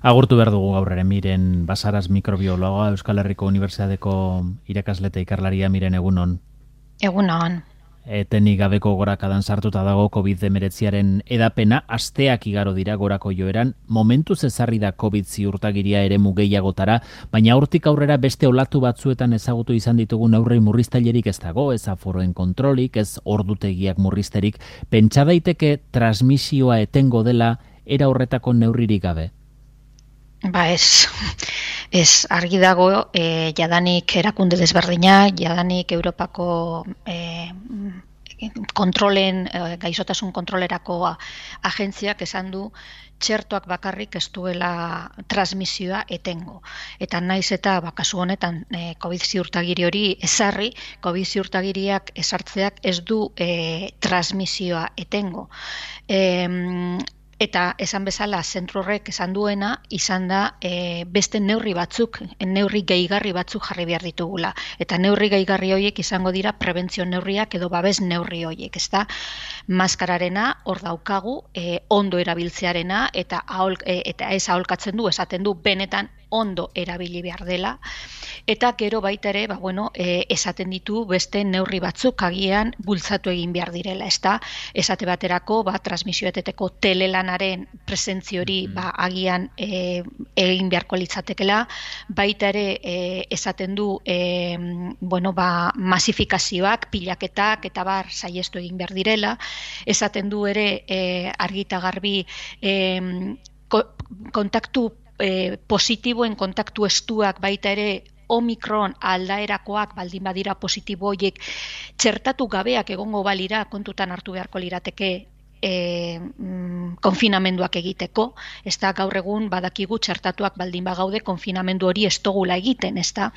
Agurtu behar dugu gaur ere Miren Basaras mikrobiologa, Euskal Herriko Unibertsitateko irakasle eta ikerlaria. Miren, egunon. Egunon. Etenik gabeko gorakadan sartuta dago COVID-19aren edapena, asteak igaro dira gorako joeran, momentuz ezarri da COVID ziurtagiria eremu gehiagotara, baina hortik aurrera beste olatu batzuetan ezagutu izan ditugu neurri murriztailerik ez dago, ez aforoen kontrolik, ez ordutegiak murrizterik. Pentsa daiteke transmisioa etengo dela era horretako neurririk gabe? Ba ez argi dago, jadanik erakunde desberdinak, jadanik Europako gaixotasun kontrolerako agentziak esan du txertoak bakarrik ez duela transmisioa etengo. Eta naiz eta kasu honetan COVID ziurtagiri hori ezarri, COVID ziurtagiriak ezartzeak ez du transmisioa etengo. Eta esan bezala zentro horrek esan duena izan da beste neurri gehigarri batzuk jarri behar ditugula. Eta neurri gehigarri horiek izango dira prebentzio neurriak edo babes neurri horiek. Ezta maskararena hor daukagu, ondo erabiltzearena eta ez aholkatzen du, esaten du benetan ondo erabili behar dela. Eta gero baita ere, esaten ditu beste neurri batzuk agian bultzatu egin behar direla, ezta? Esate baterako, transmisio eteteko telelanaren presentzio hori agian egin beharko litzatekela, baita ere esaten du masifikazioak, pilaketak eta saihestu egin behar direla, esaten du ere argi eta garbi kontaktu positiboen kontaktu estuak baita ere Omikron aldaerakoak baldin badira positibo horiek txertatu gabeak egongo balira kontutan hartu beharko lirateke konfinamenduak egiteko, ez da gaur egun badakigu txertatuak baldin bagaude konfinamendu hori ez dugula egiten, ez da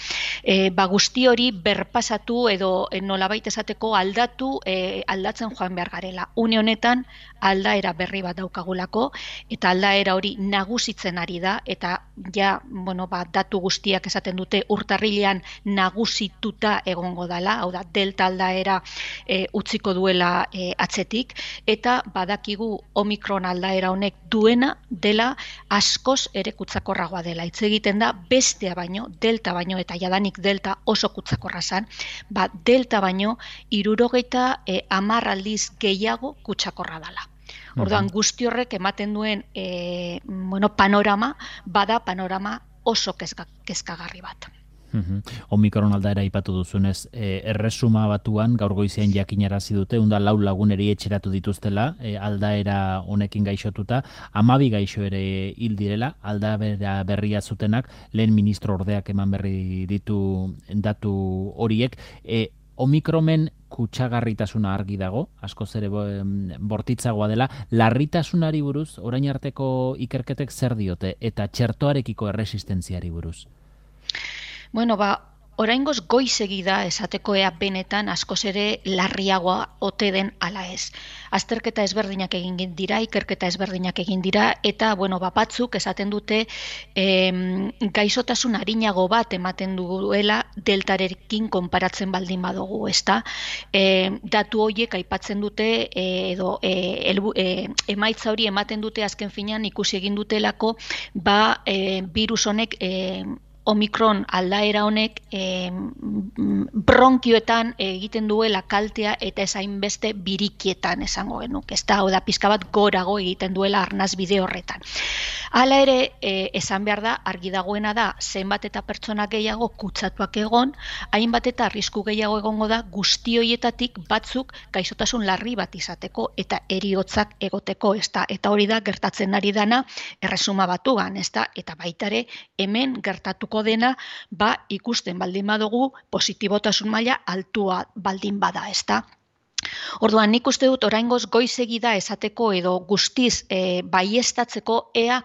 guzti hori berpasatu edo nolabait esateko aldatzen joan behar garela. Une honetan aldaera berri bat daukagulako eta aldaera hori nagusitzen ari da eta datu guztiak esaten dute urtarrilean nagusituta egongo dela, hau da delta aldaera utziko duela atzetik eta badakigu Omikron aldaera honek duena dela askoz ere kutsakorragoa dela. Hitz egiten da bestea baino, delta baino eta jadanik delta oso kutsakorra zen, delta baino 70 aldiz gehiago kutsakorra dela. Orduan guzti horrek ematen duen panorama oso kezkagarri bat. Omikron aldaera aipatu duzunez, erresuma batuan gaur goizean jakinarazi dute, 4 laguneri etxeratu dituztela, aldaera honekin gaixotuta, 12 gaixo ere hil direla, aldaera berria zutenak, lehen ministro ordeak eman berri ditu datu horiek. Omikromen kutsagarritasuna argi dago, askoz ere bortitzagoa dela, larritasunari buruz, orain arteko ikerketek zer diote, eta txertoarekiko erresistentziari buruz? Oraingoz goizegi da esateko ea benetan askoz ere larriagoa ote den ala ez. Azterketa ezberdinak egin dira, ikerketa ezberdinak egin dira, eta batzuk esaten dute gaixotasun arinago bat ematen duela deltarekin konparatzen baldin badugu, ezta? Datu horiek aipatzen dute edo emaitza hori ematen dute azken finean ikusi egin dutelako virus honek Omikron aldaera honek bronkioetan egiten duela kaltea eta ez hainbeste birikietan esango genuke. Ez da, hau da, pixka bat gorago egiten duela arnaz bide horretan. Hala ere, esan behar da, argi dagoena da, zenbat eta pertsona gehiago kutsatuak egon, hainbat eta arrisku gehiago egongo da guzti horietatik batzuk gaixotasun larri bat izateko eta heriotzak egoteko, ez da, eta hori da gertatzen ari dana erresuma batuan, ez da, eta baita ere hemen gertatuko dena ikusten baldin badugu positibotasun maila altua baldin bada, ez da. Orduan nik uste dut oraingoz goizegi da esateko edo guztiz baieztatzeko ea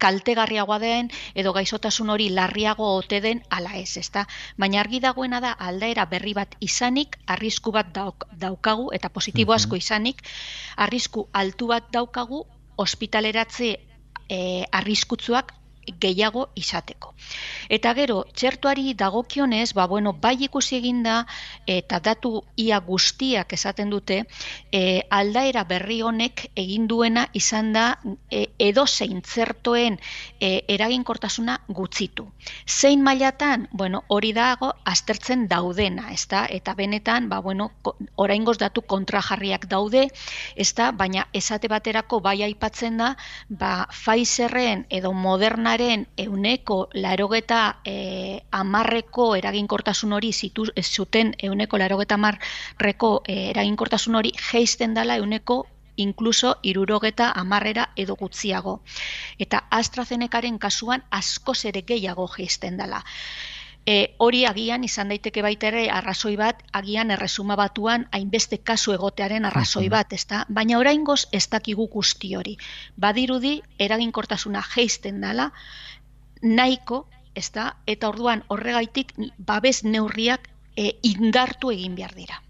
kaltegarriagoa den edo gaixotasun hori larriago ote den ala ez, ezta? Baina argi dagoena da aldaera berri bat izanik, arrisku bat daukagu eta positibo asko izanik, arrisku altu bat daukagu ospitaleratze arriskutsuak gehiago izateko. Eta gero, txertuari dagokionez, bai ikusi eginda, eta datu ia guztiak esaten dute, aldaera berri honek egin duena izan da edozein txertoen eraginkortasuna gutxitu. Zein mailatan, hori dago aztertzen daudena, ezta? Eta benetan, oraingoz datu kontrajarriak daude, ezta? Baina esate baterako bai aipatzen da, Pfizerren edo Modernaren 80% eraginkortasun hori zuten 80% eraginkortasun hori jaisten dela inkluso 70% edo gutxiago. Eta AstraZenecaren kasuan askoz ere gehiago jaisten dela. Hori agian izan daiteke baita ere arrazoi bat, agian erresuma batuan hainbeste kasu egotearen arrazoi bat, ezta? Baina oraingoz ez dakigu guzti hori. Badirudi eraginkortasuna jaisten dela nahiko, ezta? Eta orduan horregaitik babes neurriak indartu egin behar dira.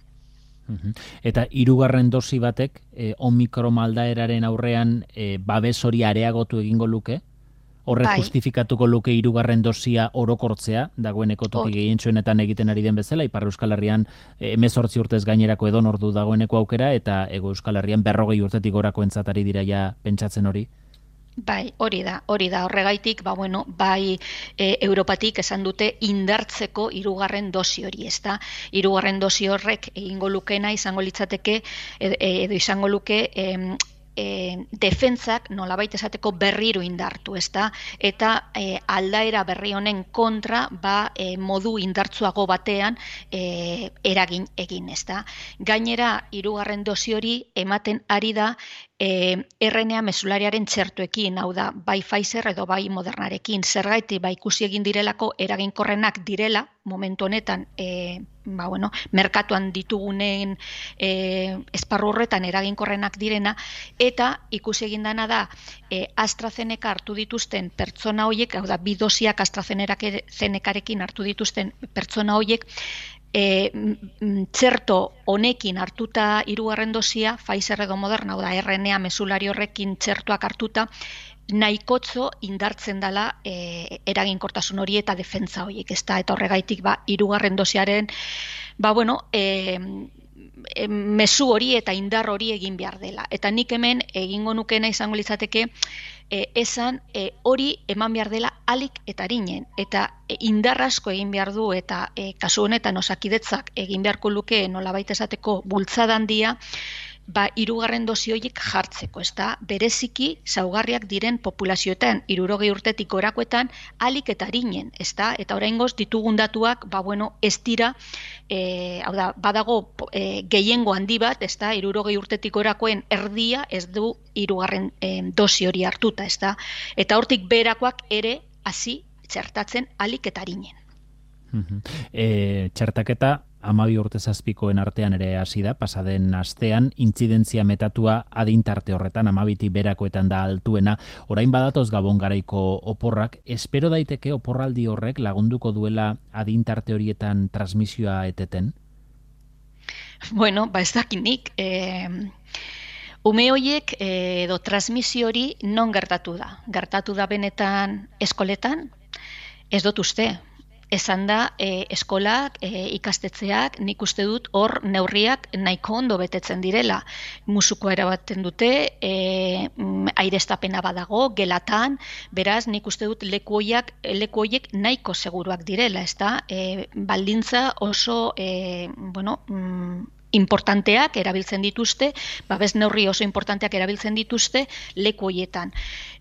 Eta 3. dosi batek Omikron aldaeraren aurrean babes hori areagotu egingo luke? Horrek justifikatuko luke 3. dosia orokortzea, dagoeneko toki gehientsuenetan egiten ari den bezala, Ipar Euskal Herrian 18 urtez gainerako edonordu dagoeneko aukera, eta Hego Euskal Herrian 40 urtetik gorakoentzat ari dira ja pentsatzen hori? Bai, hori da, horregaitik, Europatik esan dute indartzeko 3. dosi hori, ezta? 3. dosi horrek egingo lukena izango litzateke, edo izango luke, defentsak nolabait esateko berriro indartu, ezta? Eta aldaera berri honen kontra modu indartsuago batean eragin egin, ezta? Gainera, 3. dosi hori ematen ari da RNA mesulariaren txertuekin, hau da, bai Pfizer edo bai Modernarekin, zergaiti ikusi egin direlako eraginkorrenak direla, momentu honetan, merkatuan ditugunen esparru horretan eraginkorrenak direna, eta ikusi egin dana da AstraZeneca hartu dituzten pertsona horiek, hau da, 2 dosiak AstraZenecarekin hartu dituzten pertsona horiek, txerto honekin hartuta 3. dosia, Pfizer edo Moderna, hau da, RNA mesulari horrekin txertuak hartuta, nahikotzo indartzen dela eraginkortasun hori eta defentsa horiek, ezta? Eta horregaitik 3. dosiaren mezu hori eta indar hori egin behar dela. Eta nik hemen egingo nukena izango litzateke esan hori eman behar dela alik eta arinen. Eta indar asko egin behar du eta kasu honetan Osakidetzak egin beharko luke nolabait esateko bultzada handia, 3. dosi horiek jartzeko, ezta? Bereziki zaugarriak diren populazioetan, 60 urtetik gorakoetan, alik eta arinen, ezta? Eta oraingoz ditugun datuak, ez dira, hau da, badago gehiengo handi bat, ezta? 60 urtetik gorakoen erdia ez du 3. dosi hori hartuta, ezta? Eta hortik berakoak ere hasi txertatzen alik eta arinen. Txertaketa 12 urte zazpikoen artean ere hasi da, pasaden astean, intzidentzia metatua adintarte horretan, 12tik berakoetan da altuena. Orain badatoz Gabon garaiko oporrak, espero daiteke oporraldi horrek lagunduko duela adintarte horietan transmisioa eteten? Ez dakinik. Ume horiek edo transmisio hori non gertatu da? Gertatu da benetan eskoletan? Ez dut uste. Esan da, eskolak, ikastetxeak, nik uste dut hor neurriak nahiko ondo betetzen direla. Musukoa erabaten dute, aireztapena badago, gelatan, beraz nik uste dut leku horiek nahiko seguruak direla, ezta? Baldintza oso, importanteak erabiltzen dituzte, babes neurri oso importanteak erabiltzen dituzte leku horietan.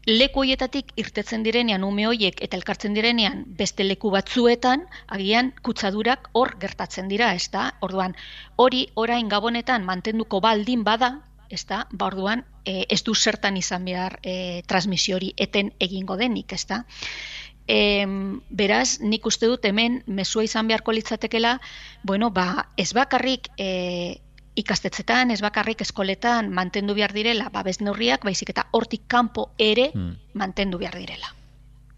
Leku horietatik irtetzen direnean ume horiek eta elkartzen direnean beste leku batzuetan, agian kutsadurak hor gertatzen dira, ezta? Orduan, hori orain Gabonetan mantenduko baldin bada, ezta? Orduan, ez du zertan izan behar transmisio hori eten egingo denik, ezta? Beraz, nik uste dut hemen mezua izan beharko litzatekela, ez bakarrik ikastetzetan, ez bakarrik eskoletan mantendu behar direla babes neurriak, baizik eta hortik kanpo ere mantendu behar direla.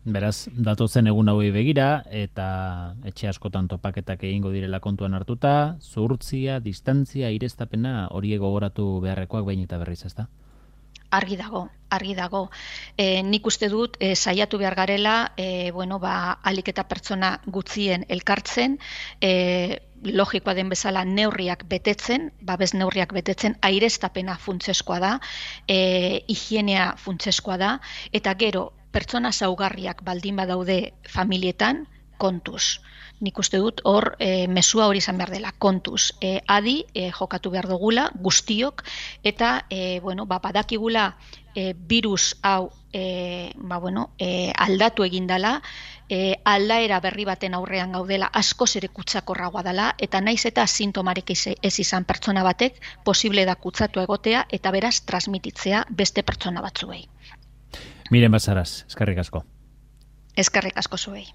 Beraz, datozen egun hauei begira, eta etxe askotan topaketak egingo direla kontuan hartuta, zuhurtzia, distantzia, aireztapena, horiek gogoratu beharrekoak behin eta berriz, ezta? argi dago. Nik uste dut saiatu behar garela, alik eta pertsona gutzien elkartzen, logikoa den bezala neurriak betetzen, babes neurriak betetzen, aireztapena funtsezkoa da, higienea funtsezkoa da, eta gero pertsona zaugarriak baldin badaude familietan, kontuz. Nik uste dut hor mesua hori izan behar dela, kontuz. Adi jokatu behar dugula guztiok, eta badakigula virus hau aldatu egin dela, aldaera berri baten aurrean gaudela, askoz ere kutsakorragoa dela, eta naiz eta sintomarik ez izan pertsona batek, posible da kutsatu egotea, eta beraz transmititzea beste pertsona batzuei. Miren Basaras, eskerrik asko. Eskerrik asko zuei.